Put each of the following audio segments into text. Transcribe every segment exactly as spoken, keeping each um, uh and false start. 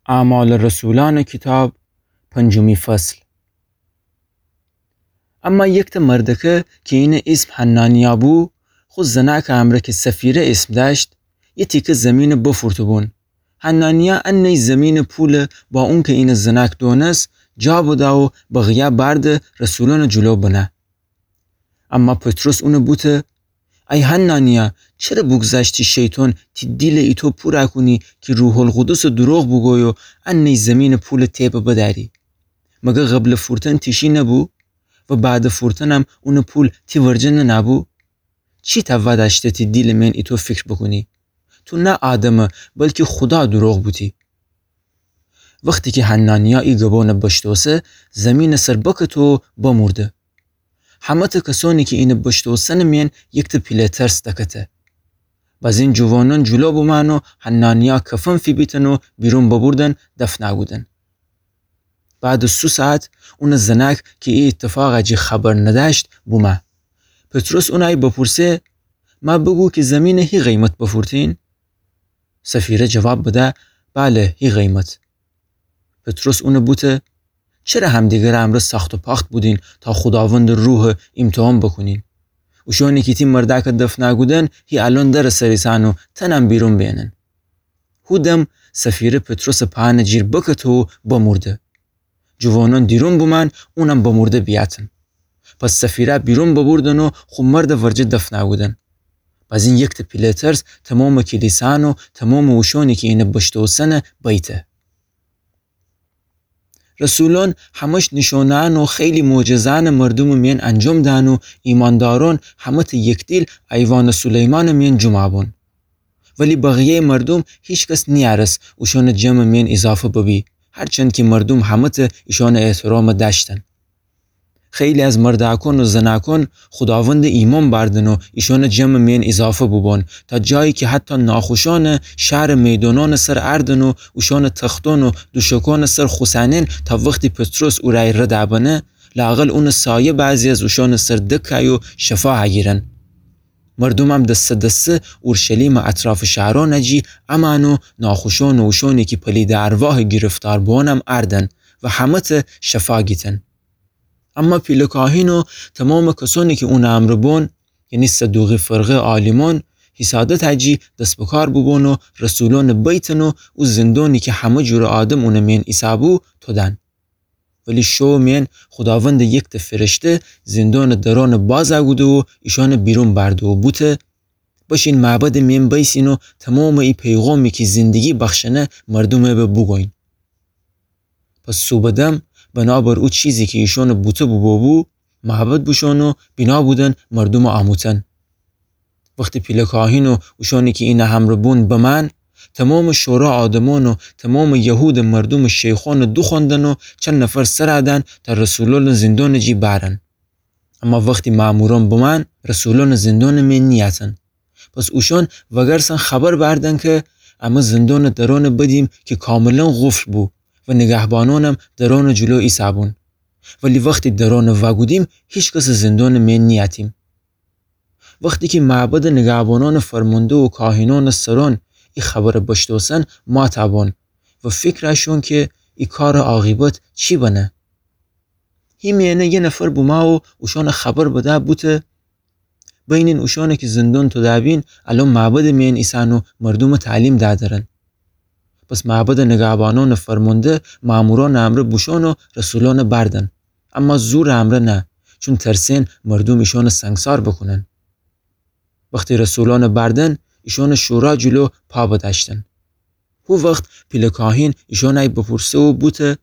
اعمال رسولأنٚ کیتاب، پنجمی فصل. اما یکتأ مردأکه کی اینٚ ایسم حنانیا بو، خو زنأکٚ امرأ کی سفیره ایسم دأشت، یه تیکه زیمینٚ بفورته بون. حنانیا انیی زیمینٚ پوله با اونکه اینٚ زنأک دونس، جا بده و بقیه بأرده رسولأنٚ جلو بنه. اما پطرس اونٚ بوته: ای حنانیا، چره بوگذشتی شیطان تی دیلٚ ایطو پورأ کونی کی روح‌القدسٚ دروغ بوگویی و انیی زیمینٚ پولٚ تئبه بدأری؟ مگر قبلٚ فورتن تی شی نبو؟ و بعدٚ فورتنم اونٚ پول تی ورجه ننه‌بو؟ چی تأوه دأشته تی دیلٚ مئن ایطو فیکر بوکونی؟ تو نه آدمه، بلکی خودا دروغ بوتی. وختی کی حنانیا ای گبأنه بشتوسه، زیمینٚ سر بکته و بمورده. همه‌تأ کسأنی کی اینٚ بشتوسنٚ مئن یکتأ پیله ترس دکته. بازین جوانأن جلو بومأن و حنانیا کفن فیبیتن و بیرون ببوردن دفنأ کودن. بعدٚ سو ساعت اونٚ زنأک کی ای ایتفاقٚ جی خبر ندأشت بومه. پطرس اونٚ بپورسه: مأ بوگو کی زیمینٚ هی قیمت بفورتین؟ سفیره جواب بده: بله، هی قیمت. پطرس اونٚ بوته: چره همدیگرٚ امرأ ساخت و پاخت بودین تا خوداوندٚ روحٚ ایمتحان بوکونین؟ اوشأنی کی تی مردأکٚ دفنأ کودن هی الأن درٚ سر ایسن و تنم بیرون بینن. هو دم سفیره پطرسٚ پأنٚ جیر بکته و بمورده. جوانأن دیرون بومأن اونم بمورده بیأتن. پس سفیره بیرون ببوردن و خو مردٚ ورجه دفنأ کودن. بازین یکتأ پیله ترس تومامٚ کلیسأن و تومامٚ اوشأنی کی اینٚ بشتوسنه بیته. رسولأن همه‌ش نیشونه‌أن و خیلی معجزه‌أنٚ مردومٚ مئن انجام دهن و ایماندارأن همه‌تأ یکدیل ایوانٚ سلیمانٚ مئن جمعه بون. ولی بقیه‌یٚ مردوم هیکس نیأرس اوشأنٚ جمعٚ مئن ایضافه ببی، هرچند کی مردوم همه‌تأ ایشأنٚ احترام دأشتن. خیلی از مردأکأن و زنأکأن خوداوندٚ ایمأن بأردن و ایشأنٚ جمعٚ مئن ایضافه بوبون، تا جایی کی حتی ناخوشأنٚ شهرٚ میدونأنٚ سر اردن و اوشأنٚ تختأن و دوشکأنٚ سر خوسنن، تا وختی پطرس اورأی ردأ بنه، لااقل اونٚ سایه بعضی از اوشأنٚ سر دکأی و شفا هگیرن. مردومم دسه دسه اورشلیمٚ اطرافٚ شهرأنٚ جی امأن و ناخوشأن و اوشأنی کی پلیدٚ ارواحٚ گرفتار بوأنم اردن و همه‌تأ شفا گیتن. اما پیله کاهین و تومامٚ کسأنی کی اونٚ امرأ بون، یعنی صدوقی فرقه عالیمأن، حسادتٚ جی دس بکار بوبون و رسولأن بیتن و او زندونی کی همه جورٚ آدم اونٚ مئن ایسه‌بو تودن. ولی شوٚ مئن خوداوندٚ یکتأ فرشته زندونٚ درأنٚ بازَ کوده و ایشأنٚ بیرون بأرده و بوته: بشین معبدٚ مئن بیسین و تومامٚ ای پیغامی کی زندگی بخشنه مردومٚ به بوگوین. پس صوبٚ دم بنابر او چیزی کی ایشأنٚ بوته بوبوبو، معبد بوشون و بینا بودن مردومٚ آموتن. وختی پیله کاهین و اوشأنی کی اینٚ همرأ بون بمأن، تومامٚ شورا آدمأن و تومامٚ یهودٚ مردومٚ شیخأنٚ دوخوأندن و چند نفر سرَ دأن تا رسولأنٚ زندونٚ جی بأرن. اما وختی مأمورأن بمأن، رسولأنٚ زندونٚ مئن نیأتن. پس اوشأن وأگرسن خبر بأردن کی امه زندونٚ درأنٚ بدیم کی کاملاً قفل بو و نیگهبانأنم درأنٚ جلو ایسه‌بون. ولی وختی درأنٚ وأکودیم، هیکسٚ زندونٚ مئن نیأتیم. وختی کی معبدٚ نیگهبانأنٚ فرمانده و کاهینأنٚ سرأن ای خبرٚ بشتوسن، ماتَ بون و فکرَ شون کی ای کارٚ عاقبت چی بنه. هی مئنه یه نفر بومه و اوشأنَ خبر بده بوته: بینین اوشأنی کی زندون توده بین، الأن معبدٚ مئن ایسن و مردومَ تعلیم دأدرن. پس معبدٚ نیگهبانأنٚ فرمانده مأمورأنٚ امرأ بوشون و رسولأنَ بأردن، اما زورٚ امرأ نه، چون ترسئن مردوم ایشأنَ سنگسار بوکونن. وختی رسولأنَ بأردن، ایشأنَ شورا جلو پا بدأشتن. هو وخت پیله کاهین ایشأنَ بپورسه و بوته: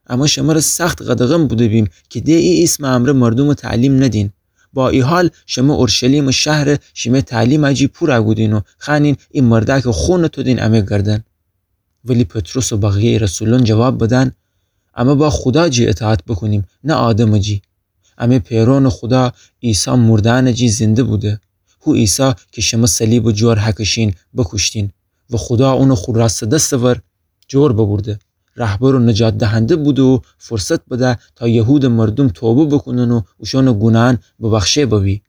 امه شمره سخت قدغن بوده‌بیم کی د ای ایسمٚ امرأ مردومَ تعلیم ندین. با ای حال شمه اورشلیمٚ شهرَ شیمه تعلیمٚ جی پورَ کودین و خوأنین ای مردأکٚ خونَ تودین امه گردن. ولی پطرس و بقیه‌یٚ رسولأن جواب بدن: امه با خودا جی اطاعت بوکونیم، نه آدمٚ جی. امه پئرأنٚ خودا عیسی مردأنٚ جی زنده بوده. هو عیسی کی شمه صلیبٚ جور هکشین بوکوشتین و خودا اونَ خو راستٚ دستٚ ور جور ببورده. رهبر و نجات دهنده بوده و فرصت بده تا یهودٚ مردوم توبه بوکونن و اوشأنٚ گوناهأن ببخشه ببی.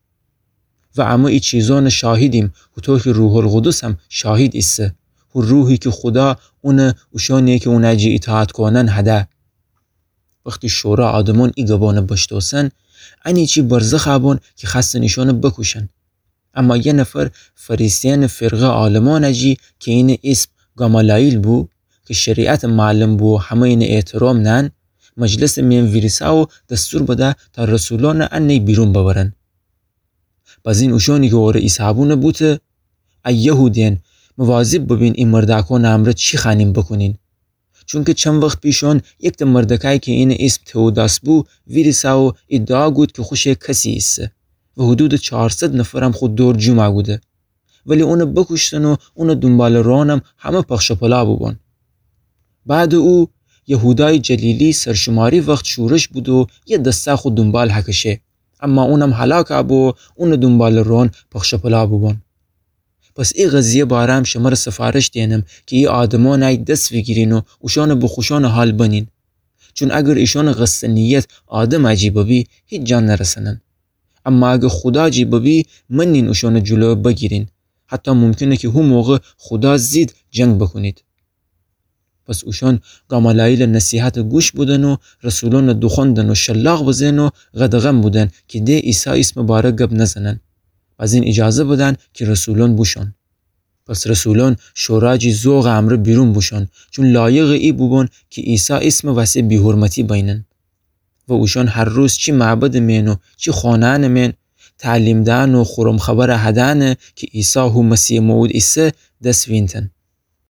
و امه ای چیزأنٚ شاهدیم، هوطو کی روح‌القدسم شاهد ایسه. روحی کی خودا اونَ اوشأنیی کی اونَ جی ایطاعت کونن هده. وختی شورا آدمأن ای گبأنَ بشتوسن، انیچی برزخ بون کی خوأستن ایشأنَ بکوشن. اما یه نفر فریسیأنٚ فرقه عالمأنٚ جی کی اینٚ ایسم گامالایل بو، کی شریعتٚ معلم بو و همه‌یٚنٚ احترام نأن، مجلسٚ میأن ویریسه و دستور بده تا رسولأنَ انه‌یی بیرون ببرن. بزین اوشأنی کی اوره ایسه‌بو بوته: ای یهودیأن، مواظب ببین ای مردأکأنٚ امرأ چی خوأنین بوکونین. چونکی چند وخت پیشأن یکتأ مردأکأی کی اینٚ ایسم تئوداس بو، ویریسه و ادعا کود کی خوشٚ کسی ایسه و حدودٚ چارصد نفرم خو دور جمع کوده. ولی اونَ بوکوشتن و اونٚ دونباله‌روانم همه پخش و پلا بوبون. بعدٚ او، یهودایٚ جلیلی سرشماری وخت شورش بوده و یه دسته خو دونبال هکشه. اما اونم هلاک بو و اونٚ دونباله‌روان پخش و پلا بوبون. پس ای قضیه باره‌م شمره سفارش دئنم کی ای آدمأنَی دس ویگیرین و اوشأنَ به خوشأنٚ حال بنین. چون اگر ایشأنٚ قصدٚ نیت آدمٚ جی ببی، هیچ جا نرسنن. اما اگر خودا جی ببی، منین اوشأنٚ جلویَ بگیرین. حتی ممکنه کی هو موقع خودا ضد جنگ بوکونید. پس اوشأن گامالایلٚ نصیحتَ گوش بدن و رسولأنَ دوخوأندن و شلاق بزئن و قدغن بودن کی د عیسی ایسمٚ باره گب نزنن. بزین ایجازه بدن کی رسولأن بوشون. پس رسولأن شورا جی ذوقٚ امرأ بیرون بوشون، چون لایقٚ ای بوبون کی عیسی ایسمٚ وسه بی‌حرمتی بینن. و اوشأن هر روز چی معبدٚ میأن و چی خانه‌یأنٚ میأن تعلیم دأن و خورم خبر هدأنه کی عیسی هو مسیحٚ موعود ایسه دس وینتن.